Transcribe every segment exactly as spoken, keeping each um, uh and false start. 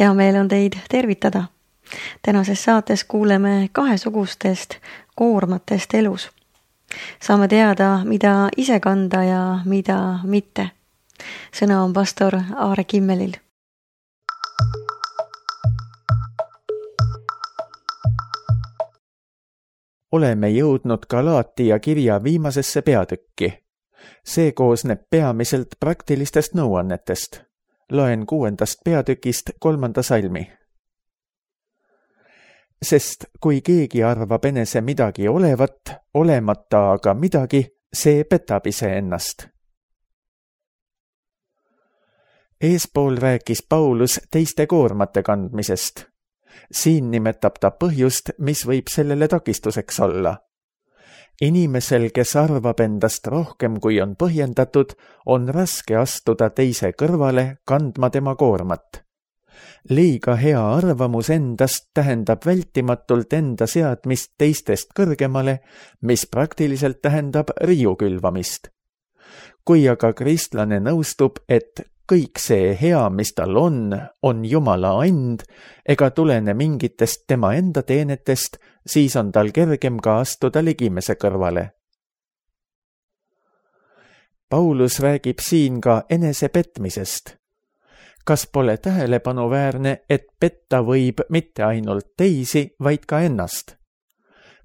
Hea meel on teid tervitada. Tänases saates kuuleme kahesugustest koormatest elus. Saame teada, mida ise kanda ja mida mitte. Sõna on pastor Aare Kimmelil. Oleme jõudnud Galaatia kirja viimasesse peatükki. See koosneb peamiselt praktilistest nõuannetest. Loen kuuendast peatükist kolmanda salmi. Sest kui keegi arvab enese midagi olevat, olemata aga midagi, see petab ise ennast. Eespool rääkis Paulus teiste koormate kandmisest. Siin nimetab ta põhjust, mis võib sellele takistuseks olla. Inimesel, kes arvab endast rohkem kui on põhjendatud, on raske astuda teise kõrvale kandma tema koormat. Liiga hea arvamus endast tähendab vältimatult enda seadmist teistest kõrgemale, mis praktiliselt tähendab riiu külvamist. Kui aga kristlane nõustub, et kõik see hea, mis tal on, on Jumala and ega tulene mingitest tema enda teenetest, siis on tal kergem ka astuda ligimese kõrvale. Paulus räägib siin ka enese petmisest. Kas pole tähelepanuväärne, et petta võib mitte ainult teisi, vaid ka ennast?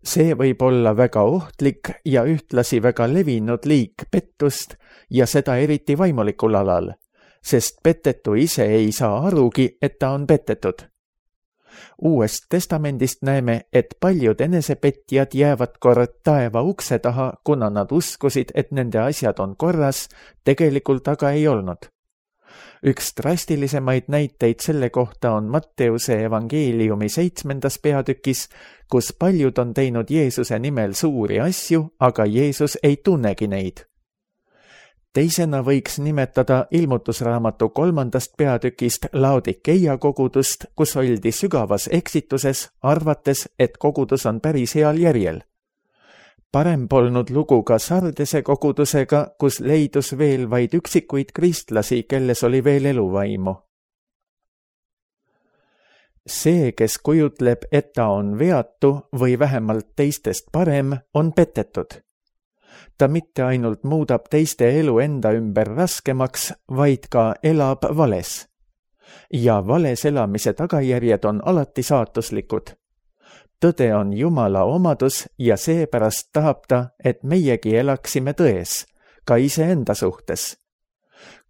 See võib olla väga ohtlik ja ühtlasi väga levinud liik pettust ja seda eriti vaimulikul alal, sest petetu ise ei saa arugi, et ta on petetud. Uuest testamendist näeme, et paljud enesepetjad jäävad kord taeva ukse taha, kuna nad uskusid, et nende asjad on korras, tegelikult aga ei olnud. Üks drastilisemaid näiteid selle kohta on Matteuse evangeeliumi seitsmendas peatükis, kus paljud on teinud Jeesuse nimel suuri asju, aga Jeesus ei tunnegi neid. Teisena võiks nimetada ilmutusraamatu kolmandast peatükist Laodikeia kogudust, kus oldi sügavas eksituses, arvates, et kogudus on päris heal järjel. Parem polnud lugu ka Sardese kogudusega, kus leidus veel vaid üksikuid kristlasi, kelles oli veel eluvaimu. See, kes kujutleb, et ta on veatu või vähemalt teistest parem, on petetud. Ta mitte ainult muudab teiste elu enda ümber raskemaks, vaid ka elab vales. Ja vales elamise tagajärjed on alati saatuslikud. Tõde on Jumala omadus ja seepärast tahab ta, et meiegi elaksime tões, ka iseenda suhtes.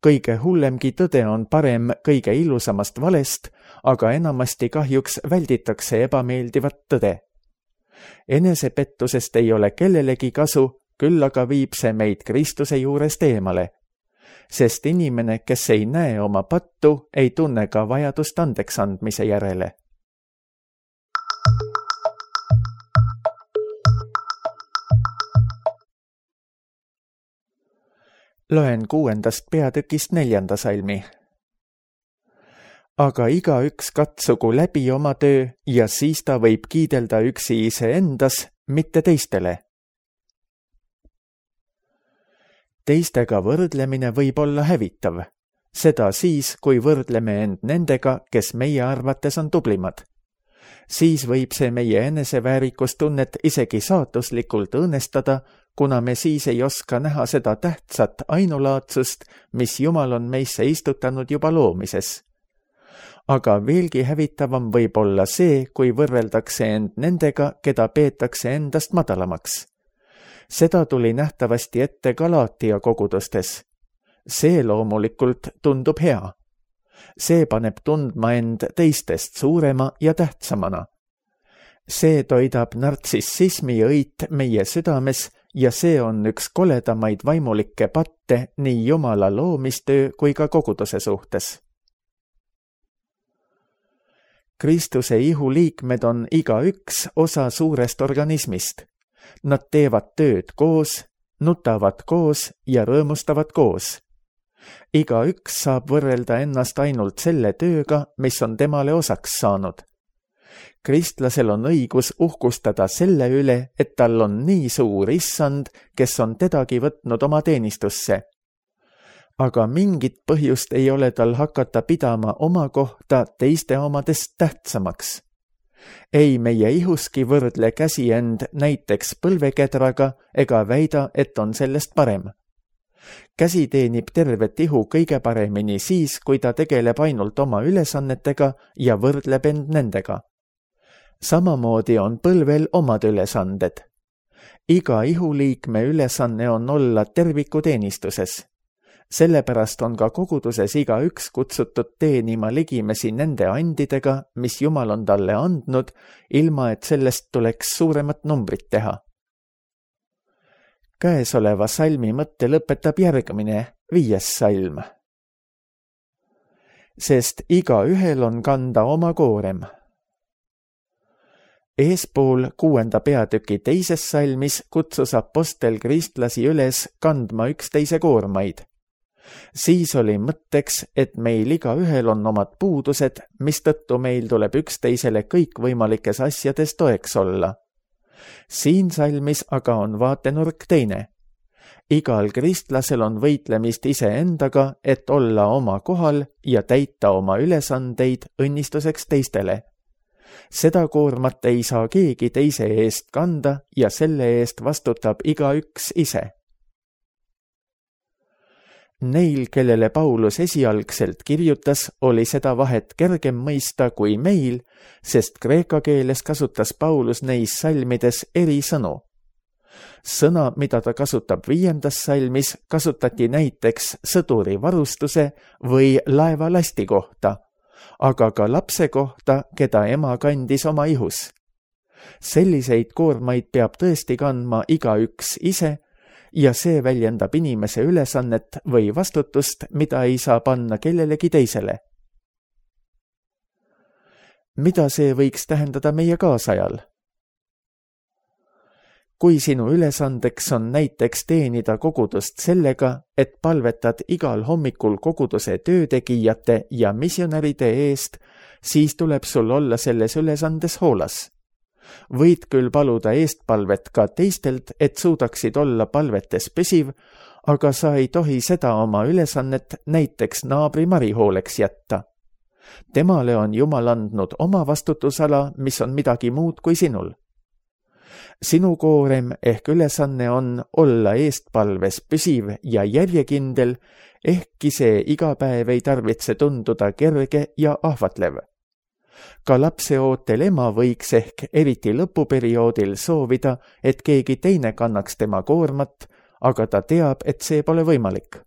Kõige hullemgi tõde on parem kõige ilusamast valest, aga enamasti kahjuks välditakse ebameeldivat tõde. Enesepettusest ei ole kellelegi kasu, küll aga viib see meid Kristuse juurest eemale, sest inimene, kes ei näe oma pattu, ei tunne ka vajadust andeks andmise järele. Loen kuuendast peatükist neljanda salmi. Aga igaüks katsugu läbi oma töö ja siis ta võib kiidelda üksi iseendas, mitte teistele. Teistega võrdlemine võib olla hävitav. Seda siis, kui võrdleme end nendega, kes meie arvates on tublimad. Siis võib see meie eneseväärikustunnet isegi saatuslikult õõnestada, kuna me siis ei oska näha seda tähtsat ainulaadsust, mis Jumal on meisse istutanud juba loomises. Aga veelgi hävitavam võib olla see, kui võrreldakse end nendega, keda peetakse endast madalamaks. Seda tuli nähtavasti ette Galaatia kogudustes. See loomulikult tundub hea. See paneb tundma end teistest suurema ja tähtsamana. See toidab nartsissismi õit meie südames ja see on üks koledamaid vaimulikke patte nii Jumala loomistöö kui ka koguduse suhtes. Kristuse ihu liikmed on igaüks osa suurest organismist. Nad teevad tööd koos, nutavad koos ja rõõmustavad koos. Igaüks saab võrrelda ennast ainult selle tööga, mis on temale osaks saanud. Kristlasel on õigus uhkustada selle üle, et tal on nii suur issand, kes on tedagi võtnud oma teenistusse. aga mingit põhjust ei ole tal hakata pidama oma kohta teiste omadest tähtsamaks. Ei meie ihuski võrdle käsi end näiteks põlvekedraga ega väida, et on sellest parem. Käsi teenib tervet ihu kõige paremini siis, kui ta tegeleb ainult oma ülesannetega ja võrdleb end nendega. Samamoodi on põlvel omad ülesanded. Iga ihuliikme ülesanne on olla terviku teenistuses. Sellepärast on ka koguduses iga üks kutsutud teenima ligimesi nende andidega, mis Jumal on talle andnud, ilma et sellest tuleks suuremat numbrit teha. Käesoleva salmi mõtte lõpetab järgmine, viies salm. Sest iga ühel on kanda oma koorem. Eespool kuuenda peatüki teises salmis kutsus apostel kristlasi üles kandma üksteise koormaid. Siis oli mõtteks, et meil iga ühel on omad puudused, mistõttu meil tuleb üksteisele kõikvõimalikes asjades toeks olla. Siin salmis aga on vaatenurk teine. Igal kristlasel on võitlemist iseendaga, et olla oma kohal ja täita oma ülesandeid õnnistuseks teistele. Seda koormat ei saa keegi teise eest kanda ja selle eest vastutab igaüks ise. Neil, kellele Paulus esialgselt kirjutas, oli seda vahet kergem mõista kui meil, sest kreeka keeles kasutas Paulus neis salmides eri sõnu. Sõna, mida ta kasutab viiendas salmis, kasutati näiteks sõduri varustuse või laeva lasti kohta, aga ka lapse kohta, keda ema kandis oma ihus. Selliseid koormaid peab tõesti kandma igaüks ise, ja see väljendab inimese ülesannet või vastutust, mida ei saa panna kellelegi teisele. Mida see võiks tähendada meie kaasajal? Kui sinu ülesandeks on näiteks teenida kogudust sellega, et palvetad igal hommikul koguduse töötegijate ja missionäride eest, siis tuleb sul olla selles ülesandes hoolas. Võid küll paluda eestpalvet ka teistelt, et suudaksid olla palvetes püsiv, aga sa ei tohi seda oma ülesannet näiteks naabri Mari hooleks jätta. Temale on Jumal andnud oma vastutusala, mis on midagi muud kui sinul. Sinu koorem ehk ülesanne on olla eestpalves püsiv ja järjekindel, ehkki see iga päev ei tarvitse tunduda kerge ja ahvatlev. Ka lapseootel ema võiks ehk eriti lõpuperioodil soovida, et keegi teine kannaks tema koormat, aga ta teab, et see pole võimalik.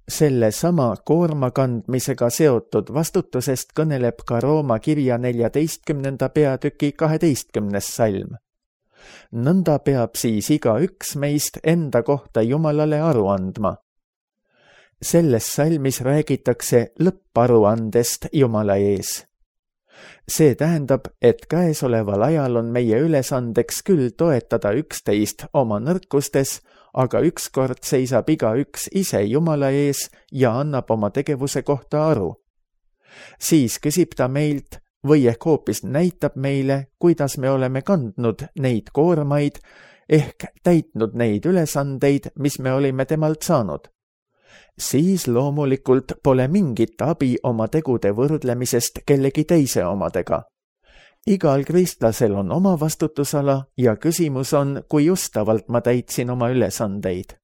Selle sama koorma kandmisega seotud vastutusest kõneleb ka Rooma kirja neljateistkümnenda peatüki kaheteistkümnes salm. Nõnda peab siis iga üks meist enda kohta Jumalale aru andma. Selles salmis räägitakse lõpparuandest Jumala ees. See tähendab, et käesoleval ajal on meie ülesandeks küll toetada üksteist oma nõrkustes, aga ükskord seisab iga üks ise Jumala ees ja annab oma tegevuse kohta aru. Siis küsib ta meilt, või ehk hoopis näitab meile, kuidas me oleme kandnud neid koormaid ehk täitnud neid ülesandeid, mis me olime temalt saanud. Siis loomulikult pole mingit abi oma tegude võrdlemisest kellegi teise omadega. Igal kristlasel on oma vastutusala ja küsimus on, kui justavalt ma täitsin oma ülesandeid.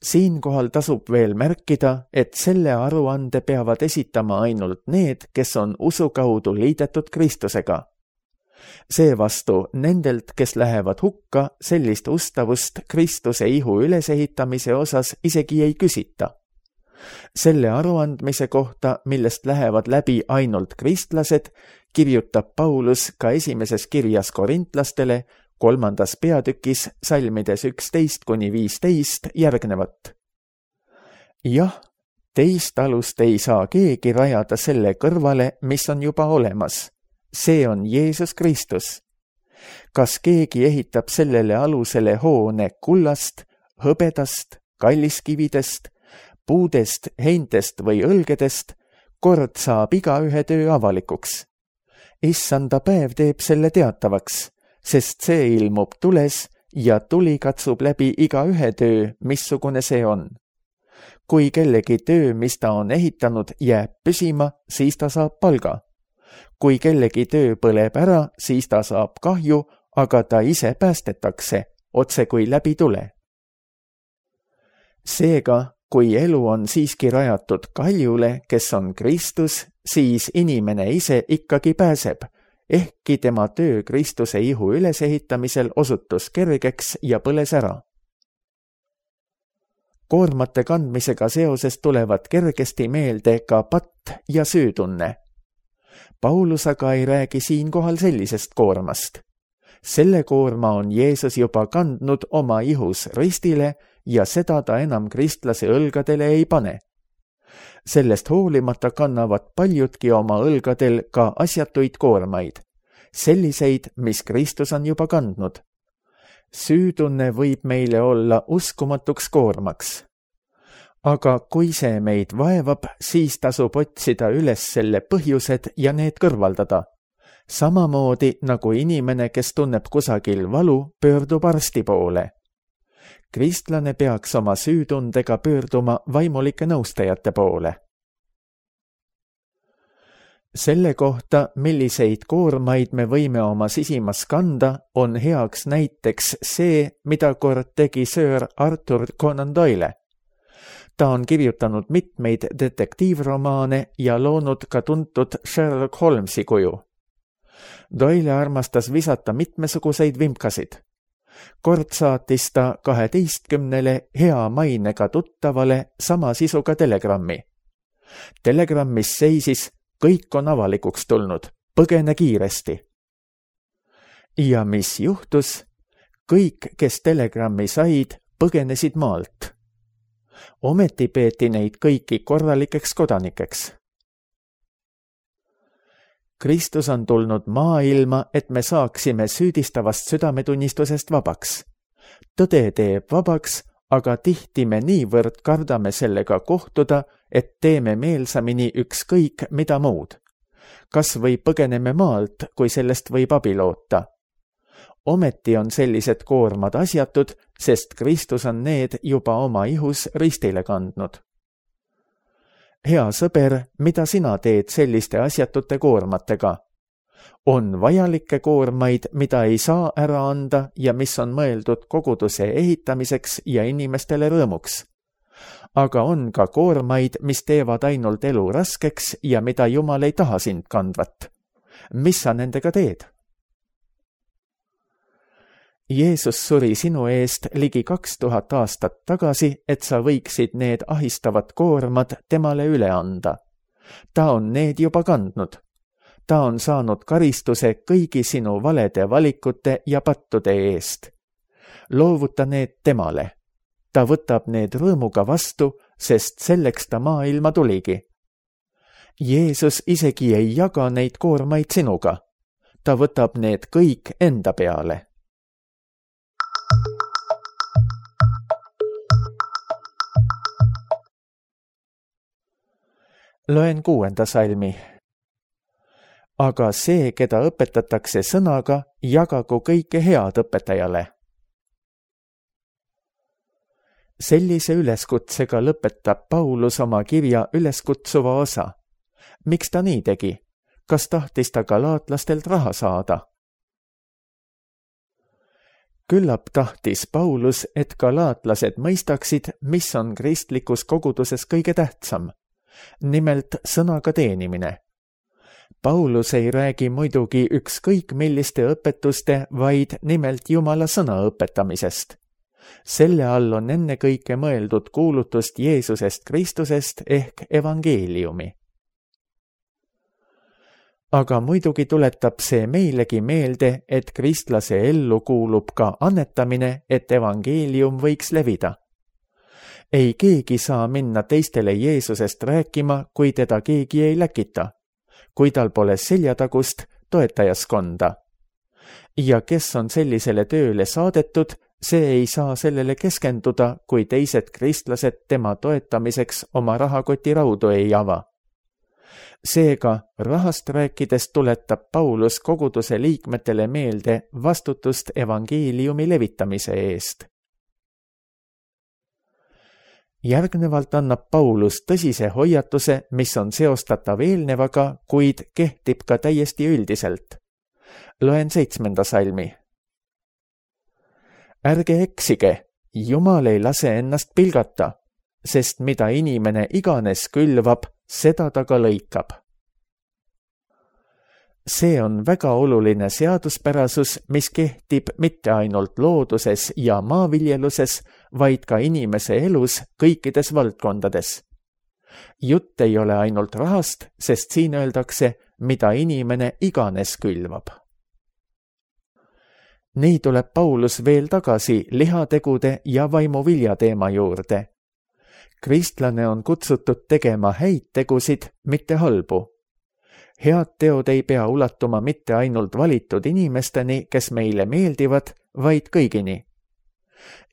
Siinkohal tasub veel märkida, et selle aruande peavad esitama ainult need, kes on usu kaudu liidetud Kristusega. Seevastu nendelt, kes lähevad hukka, sellist ustavust Kristuse ihu ülesehitamise osas isegi ei küsita. Selle aruandmise kohta, millest lähevad läbi ainult kristlased, kirjutab Paulus ka esimeses kirjas korintlastele, kolmandas peatükis salmides üksteist kuni viisteist järgnevat. Jah, teist alust ei saa keegi rajada selle kõrvale, mis on juba olemas. See on Jeesus Kristus. Kas keegi ehitab sellele alusele hoone kullast, hõbedast, kalliskividest, puudest, heintest või õlgedest, kord saab igaühe töö avalikuks. Issanda päev teeb selle teatavaks, sest see ilmub tules ja tuli katsub läbi iga ühe töö, missugune see on. Kui kellegi töö, mis ta on ehitanud, jääb püsima, siis ta saab palga. Kui kellegi töö põleb ära, siis ta saab kahju, aga ta ise päästetakse, otse kui läbi tule. Seega, kui elu on siiski rajatud kaljule, kes on Kristus, siis inimene ise ikkagi pääseb, ehkki tema töö Kristuse ihu ülesehitamisel osutus kergeks ja põles ära. Koormate kandmisega seoses tulevad kergesti meelde ka patt ja süütunne. Paulus aga ei räägi siinkohal sellisest koormast. Selle koorma on Jeesus juba kandnud oma ihus ristile ja seda ta enam kristlase õlgadele ei pane. Sellest hoolimata kannavad paljudki oma õlgadel ka asjatuid koormaid, selliseid, mis Kristus on juba kandnud. Süütunne võib meile olla uskumatuks koormaks. Aga kui see meid vaevab, siis tasub otsida üles selle põhjused ja need kõrvaldada. Samamoodi nagu inimene, kes tunneb kusagil valu, pöördub arsti poole. Kristlane peaks oma süütundega pöörduma vaimulike nõustajate poole. Selle kohta, milliseid koormaid me võime oma sisimas kanda, on heaks näiteks see, mida kord tegi Sir Arthur Conan Doyle. Ta on kirjutanud mitmeid detektiivromaane ja loonud ka tuntud Sherlock Holmesi kuju. Doyle armastas visata mitmesuguseid vimkasid. Kord saatis ta kaheteistkümnele hea mainega tuttavale sama sisuga telegrammi. Telegrammis seisis: kõik on avalikuks tulnud, põgene kiiresti. Ja mis juhtus? Kõik, kes telegrammi said, põgenesid maalt. Ometi peeti neid kõiki korralikeks kodanikeks. Kristus on tulnud maailma, et me saaksime süüdistavast südametunnistusest vabaks. Tõde teeb vabaks, aga tihti me niivõrd kardame sellega kohtuda, et teeme meelsamini ükskõik mida muud. Kas või põgeneme maalt, kui sellest võib abi loota. Ometi on sellised koormad asjatud, sest Kristus on need juba oma ihus ristile kandnud. Hea sõber, mida sina teed selliste asjatute koormatega? On vajalikke koormaid, mida ei saa ära anda ja mis on mõeldud koguduse ehitamiseks ja inimestele rõõmuks. Aga on ka koormaid, mis teevad ainult elu raskeks ja mida Jumal ei taha sind kandvat. Mis sa nendega teed? Jeesus suri sinu eest ligi kaks tuhat aastat tagasi, et sa võiksid need ahistavad koormad temale üle anda. Ta on need juba kandnud. Ta on saanud karistuse kõigi sinu valede valikute ja pattude eest. Loovuta need temale. Ta võtab need rõõmuga vastu, sest selleks ta maailma tuligi. Jeesus isegi ei jaga neid koormaid sinuga. Ta võtab need kõik enda peale. Loen kuuenda salmi. Aga see, keda õpetatakse sõnaga, jagagu kõike head õpetajale. Sellise üleskutsega lõpetab Paulus oma kirja üleskutsuva osa. Miks ta nii tegi? Kas tahtis ta galaatlastelt raha saada? Küllap tahtis Paulus, et galaatlased mõistaksid, mis on kristlikus koguduses kõige tähtsam. Nimelt sõnaga teenimine. Paulus ei räägi muidugi ükskõik milliste õpetuste, vaid nimelt Jumala sõna õpetamisest. Selle all on ennekõike mõeldud kuulutust Jeesusest Kristusest ehk evangeeliumi. Aga muidugi tuletab see meilegi meelde, et kristlase ellu kuulub ka annetamine, et evangeelium võiks levida. Ei keegi saa minna teistele Jeesusest rääkima, kui teda keegi ei läkita, kui tal pole seljatagust toetajaskonda. Ja kes on sellisele tööle saadetud, see ei saa sellele keskenduda, kui teised kristlased tema toetamiseks oma rahakoti raudu ei ava. Seega rahast rääkides tuletab Paulus koguduse liikmetele meelde vastutust evangeeliumi levitamise eest. Järgnevalt annab Paulus tõsise hoiatuse, mis on seostatav eelnevaga, kuid kehtib ka täiesti üldiselt. Loen seitsmenda salmi. Ärge eksige, Jumal ei lase ennast pilgata, sest mida inimene iganes külvab, seda ta ka lõikab. See on väga oluline seaduspärasus, mis kehtib mitte ainult looduses ja maaviljeluses, vaid ka inimese elus kõikides valdkondades. Jutt ei ole ainult rahast, sest siin öeldakse, mida inimene iganes külvab. Nii tuleb Paulus veel tagasi lihategude ja vaimuvilja teema juurde. Kristlane on kutsutud tegema häid tegusid, mitte halbu. Head teod ei pea ulatuma mitte ainult valitud inimesteni, kes meile meeldivad, vaid kõigini.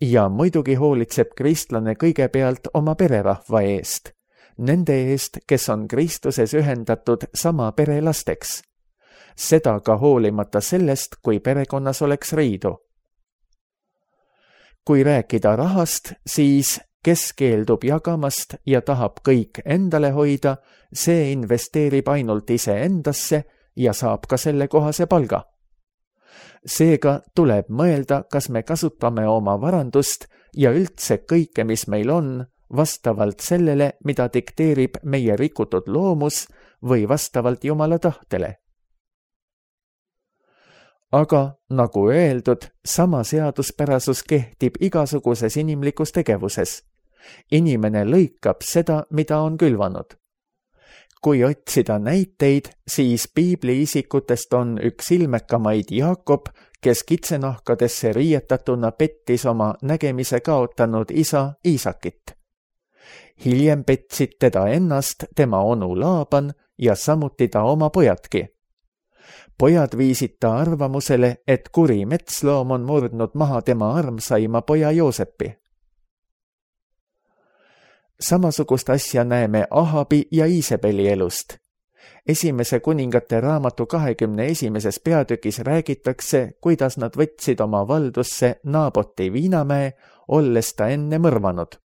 Ja muidugi hoolitseb kristlane kõigepealt oma pererahva eest, nende eest, kes on Kristuses ühendatud sama pere lasteks. Seda ka hoolimata sellest, kui perekonnas oleks riidu. Kui rääkida rahast, siis kes keeldub jagamast ja tahab kõik endale hoida, see investeerib ainult ise endasse ja saab ka selle kohase palga. Seega tuleb mõelda, kas me kasutame oma varandust ja üldse kõike, mis meil on, vastavalt sellele, mida dikteerib meie rikutud loomus või vastavalt Jumala tahtele. Aga, nagu öeldud, sama seaduspärasus kehtib igasuguses inimlikus tegevuses. Inimene lõikab seda, mida on külvanud. Kui otsida näiteid, siis piibli isikutest on üks ilmekamaid Jaakob, kes kitsenahkadesse riietatuna pettis oma nägemise kaotanud isa Iisakit. Hiljem petsid teda ennast tema onu Laaban ja samuti ta oma pojadki. Pojad viisid ta arvamusele, et kuri metsloom on murdnud maha tema armsaima poja Joosepi. Samasugust asja näeme Ahabi ja Iisebeli elust. Esimese kuningate raamatu kahekümne esimeses peatükis räägitakse, kuidas nad võtsid oma valdusse Naaboti viinamäe, olles ta enne mõrvanud.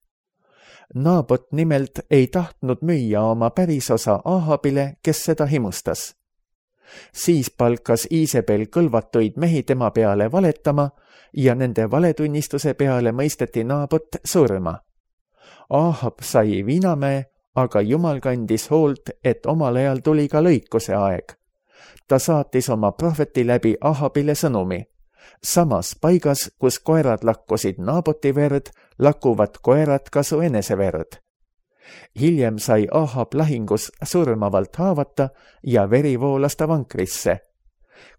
Naabot nimelt ei tahtnud müüa oma pärisosa Ahabile, kes seda himustas. Siis palkas Iisebel kõlvatuid mehi tema peale valetama ja nende valetunnistuse peale mõisteti Naabot surma. Ahab sai viinamäe, aga Jumal kandis hoolt, et omal ajal tuli ka lõikuse aeg. Ta saatis oma prohveti läbi Ahabile sõnumi. Samas paigas, kus koerad lakkusid Naaboti verd, lakuvad koerad ka su enese verd. Hiljem sai Ahab lahingus surmavalt haavata ja veri voolas ta vankrisse.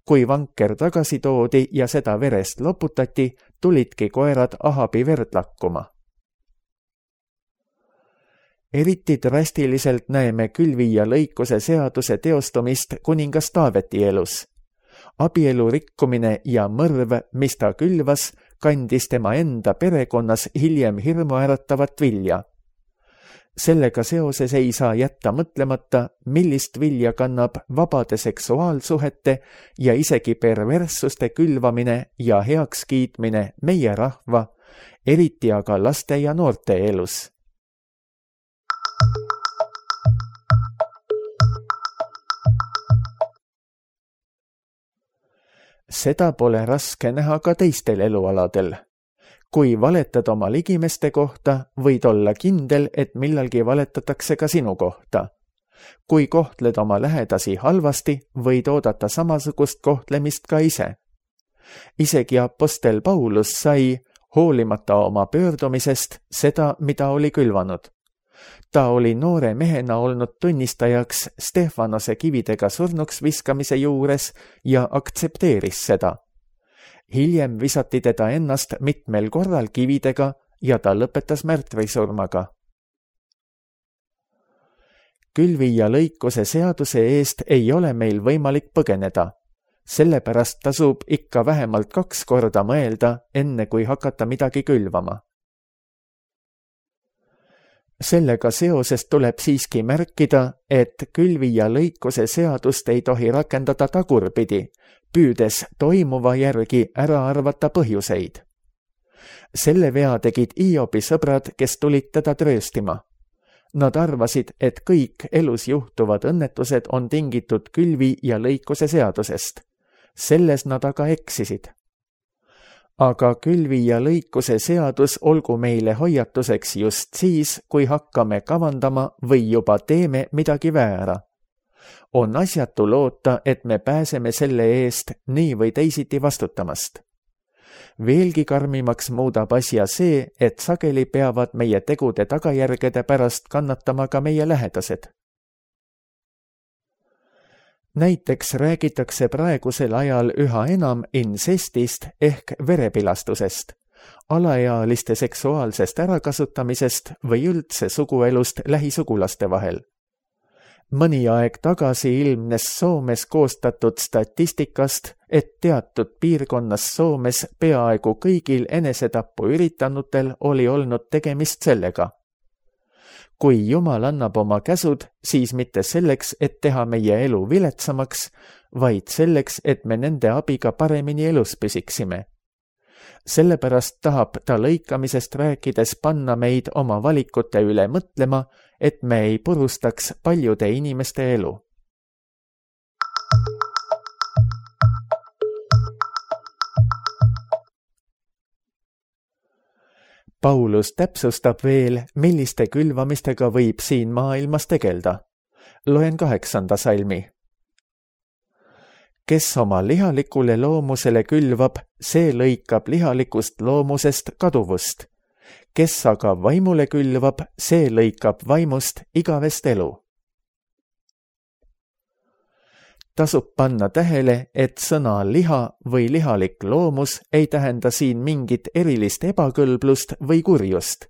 Kui vanker tagasi toodi ja seda verest loputati, tulidki koerad Ahabi verd lakkuma. Eriti drastiliselt näeme külvi- ja lõikuse seaduse teostumist kuningas Taaveti elus. Abielu rikkumine ja mõrv, mis ta külvas, kandis tema enda perekonnas hiljem hirmuäratavat vilja. Sellega seoses ei saa jätta mõtlemata, millist vilja kannab vabade seksuaalsuhete ja isegi perverssuste külvamine ja heakskiitmine meie rahva, eriti aga laste ja noorte elus. Seda pole raske näha ka teistel elualadel. Kui valetad oma ligimeste kohta, võid olla kindel, et millalgi valetatakse ka sinu kohta. Kui kohtled oma lähedasi halvasti, võid oodata samasugust kohtlemist ka ise. Isegi apostel Paulus sai, hoolimata oma pöördumisest, seda, mida oli külvanud. Ta oli noore mehena olnud tunnistajaks Stefanose kividega surnuks viskamise juures ja aktsepteeris seda. Hiljem visati teda ennast mitmel korral kividega ja ta lõpetas märtvisurmaga. Külvi- ja lõikuse seaduse eest ei ole meil võimalik põgeneda. Sellepärast tasub ikka vähemalt kaks korda mõelda, enne kui hakata midagi külvama. Sellega seoses tuleb siiski märkida, et külvi ja lõikuse seadust ei tohi rakendada tagurpidi, püüdes toimuva järgi ära arvata põhjuseid. Selle vea tegid Hiobi sõbrad, kes tulid teda trööstima. Nad arvasid, et kõik elus juhtuvad õnnetused on tingitud külvi ja lõikuse seadusest. Selles nad aga eksisid. Aga külvi ja lõikuse seadus olgu meile hoiatuseks just siis, kui hakkame kavandama või juba teeme midagi väära. On asjatu loota, et me pääseme selle eest nii või teisiti vastutamast. Veelgi karmimaks muudab asja see, et sageli peavad meie tegude tagajärgede pärast kannatama ka meie lähedased. Näiteks räägitakse praegusel ajal üha enam insestist ehk verepilastusest, alaealiste seksuaalsest ärakasutamisest või üldse suguelust lähisugulaste vahel. Mõni aeg tagasi ilmnes Soomes koostatud statistikast, et teatud piirkonnas Soomes peaaegu kõigil enesetappu üritanutel oli olnud tegemist sellega. Kui Jumal annab oma käsud, siis mitte selleks, et teha meie elu viletsamaks, vaid selleks, et me nende abiga paremini elus püsiksime. Sellepärast tahab ta lõikamisest rääkides panna meid oma valikute üle mõtlema, et me ei purustaks paljude inimeste elu. Paulus täpsustab veel, milliste külvamistega võib siin maailmas tegelda. Loen kaheksanda salmi. Kes oma lihalikule loomusele külvab, see lõikab lihalikust loomusest kaduvust. Kes aga vaimule külvab, see lõikab vaimust igavest elu. Tasub panna tähele, et sõna liha või lihalik loomus ei tähenda siin mingit erilist ebakõlblust või kurjust,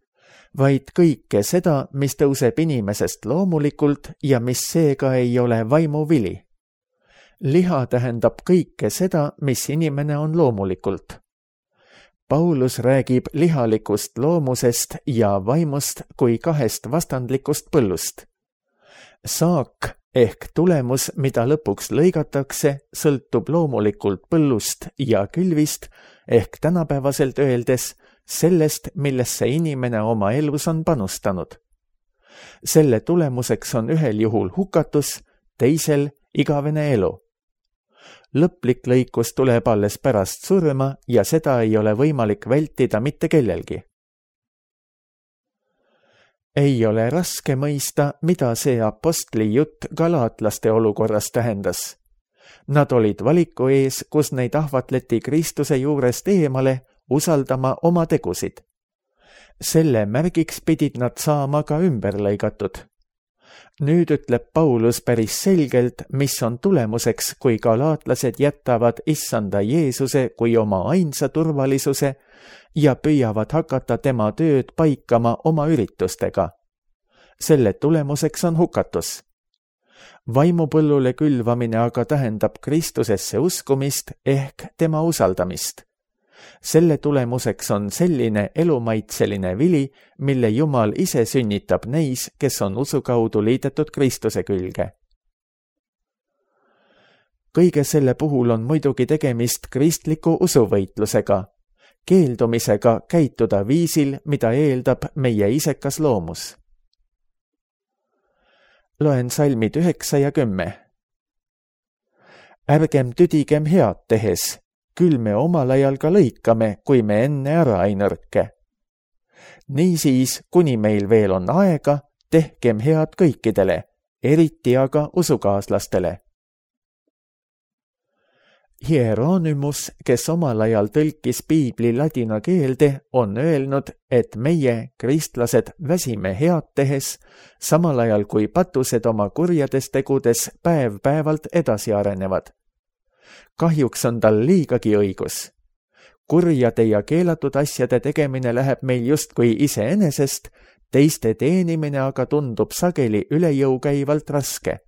vaid kõike seda, mis tõuseb inimesest loomulikult ja mis seega ei ole vaimuvili. Liha tähendab kõike seda, mis inimene on loomulikult. Paulus räägib lihalikust loomusest ja vaimust kui kahest vastandlikust põllust. Saak ehk tulemus, mida lõpuks lõigatakse, sõltub loomulikult põllust ja külvist ehk tänapäevaselt öeldes sellest, millesse inimene oma elus on panustanud. Selle tulemuseks on ühel juhul hukatus, teisel igavene elu. Lõplik lõikus tuleb alles pärast surma ja seda ei ole võimalik vältida mitte kellelgi. Ei ole raske mõista, mida see apostli jutt galaatlaste olukorras tähendas. Nad olid valiku ees, kus neid ahvatleti Kristuse juurest eemale usaldama oma tegusid. Selle märgiks pidid nad saama ka ümber lõigatud. Nüüd ütleb Paulus päris selgelt, mis on tulemuseks, kui galaatlased jätavad issanda Jeesuse kui oma ainsa turvalisuse ja püüavad hakata tema tööd paikama oma üritustega. Selle tulemuseks on hukatus. Vaimupõllule külvamine aga tähendab Kristusesse uskumist ehk tema usaldamist. Selle tulemuseks on selline elumaitseline vili, mille Jumal ise sünnitab neis, kes on usu kaudu liidetud Kristuse külge. Kõige selle puhul on muidugi tegemist kristliku usuvõitlusega, keeldumisega käituda viisil, mida eeldab meie isekas loomus. Loen salmid üheksa ja kümme. Ärgem tüdigem head tehes, küll me omal ajal ka lõikame, kui me enne ära ei nõrke. Niisiis, kuni meil veel on aega, tehkem head kõikidele, eriti aga usukaaslastele. Hieronymus, kes omal ajal tõlkis piibli ladina keelde, on öelnud, et meie, kristlased, väsime head tehes, samal ajal kui patused oma kurjades tegudes päev-päevalt edasi arenevad. Kahjuks on tal liigagi õigus. Kurjade ja keelatud asjade tegemine läheb meil justkui iseenesest, teiste teenimine aga tundub sageli üle jõu käivalt raske.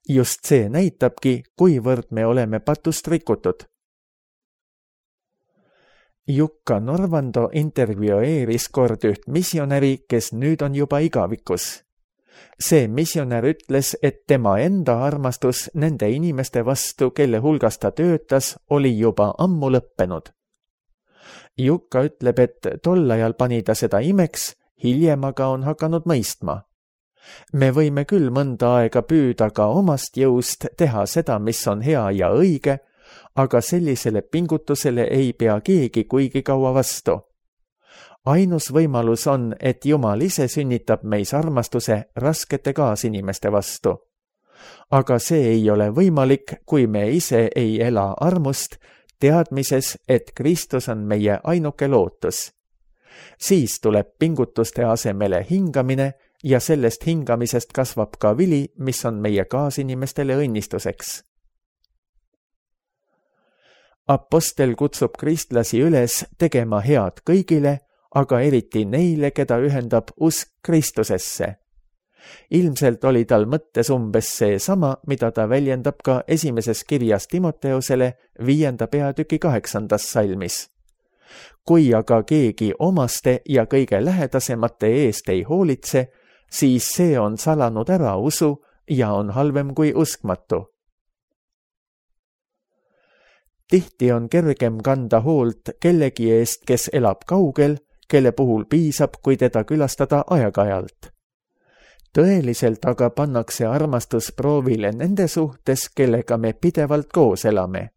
Just see näitabki, kuivõrd me oleme patust rikutud. Jukka Norvando intervjueeris kord üht missionäri, kes nüüd on juba igavikus. See missionär ütles, et tema enda armastus nende inimeste vastu, kelle hulgas ta töötas, oli juba ammu lõppenud. Jukka ütleb, et tol ajal pani ta seda imeks, hiljem aga on hakanud mõistma. Me võime küll mõnda aega püüda ka omast jõust teha seda, mis on hea ja õige, aga sellisele pingutusele ei pea keegi kuigi kaua vastu. Ainus võimalus on, et Jumal ise sünnitab meis armastuse raskete kaasinimeste vastu. Aga see ei ole võimalik, kui me ise ei ela armust, teadmises, et Kristus on meie ainuke lootus. Siis tuleb pingutuste asemele hingamine ja sellest hingamisest kasvab ka vili, mis on meie kaasinimestele õnnistuseks. Apostel kutsub kristlasi üles tegema head kõigile, aga eriti neile, keda ühendab usk Kristusesse. Ilmselt oli tal mõttes umbes see sama, mida ta väljendab ka esimeses kirjas Timoteusele viienda peatüki kaheksandas salmis. Kui aga keegi omaste ja kõige lähedasemate eest ei hoolitse, siis see on salanud ära usu ja on halvem kui uskmatu. Tihti on kergem kanda hoolt kellegi eest, kes elab kaugel, kelle puhul piisab, kui teda külastada aeg-ajalt. Tõeliselt aga pannakse armastus proovile nende suhtes, kellega me pidevalt koos elame.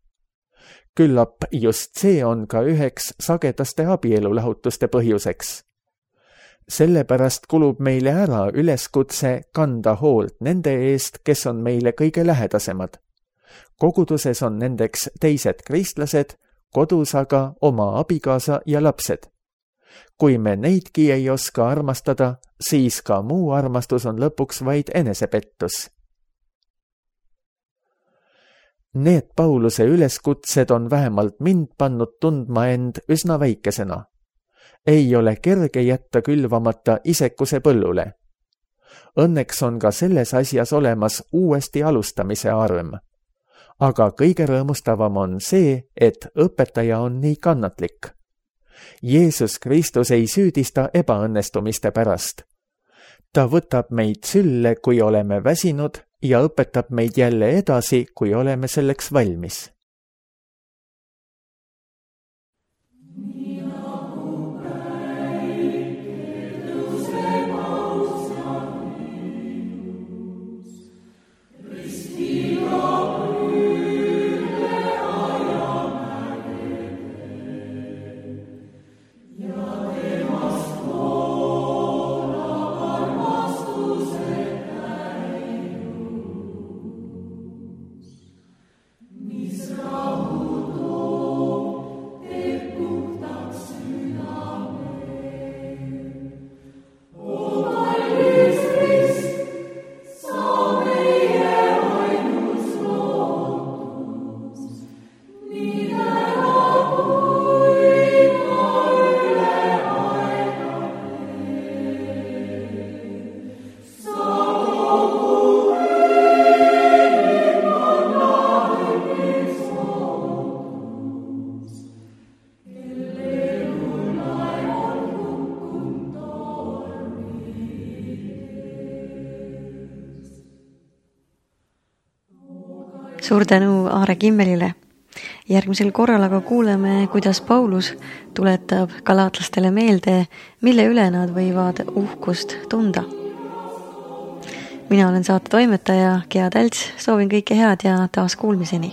Küllap just see on ka üheks sagedaste abielulahutuste põhjuseks. Sellepärast kulub meile ära üleskutse kanda hoolt nende eest, kes on meile kõige lähedasemad. Koguduses on nendeks teised kristlased, kodus aga oma abikaasa ja lapsed. Kui me neidki ei oska armastada, siis ka muu armastus on lõpuks vaid enesepettus. Need Pauluse üleskutsed on vähemalt mind pannud tundma end üsna väikesena. Ei ole kerge jätta külvamata isekuse põllule. Õnneks on ka selles asjas olemas uuesti alustamise arm. Aga kõige rõõmustavam on see, et õpetaja on nii kannatlik. Jeesus Kristus ei süüdista ebaõnnestumiste pärast. Ta võtab meid sülle, kui oleme väsinud ja õpetab meid jälle edasi, kui oleme selleks valmis. Suur tänu Aare Kimmelile. Järgmisel korral aga kuuleme, kuidas Paulus tuletab galaatlastele meelde, mille üle nad võivad uhkust tunda. Mina olen saate toimetaja Gea Tälts, soovin kõike head ja taas kuulmiseni.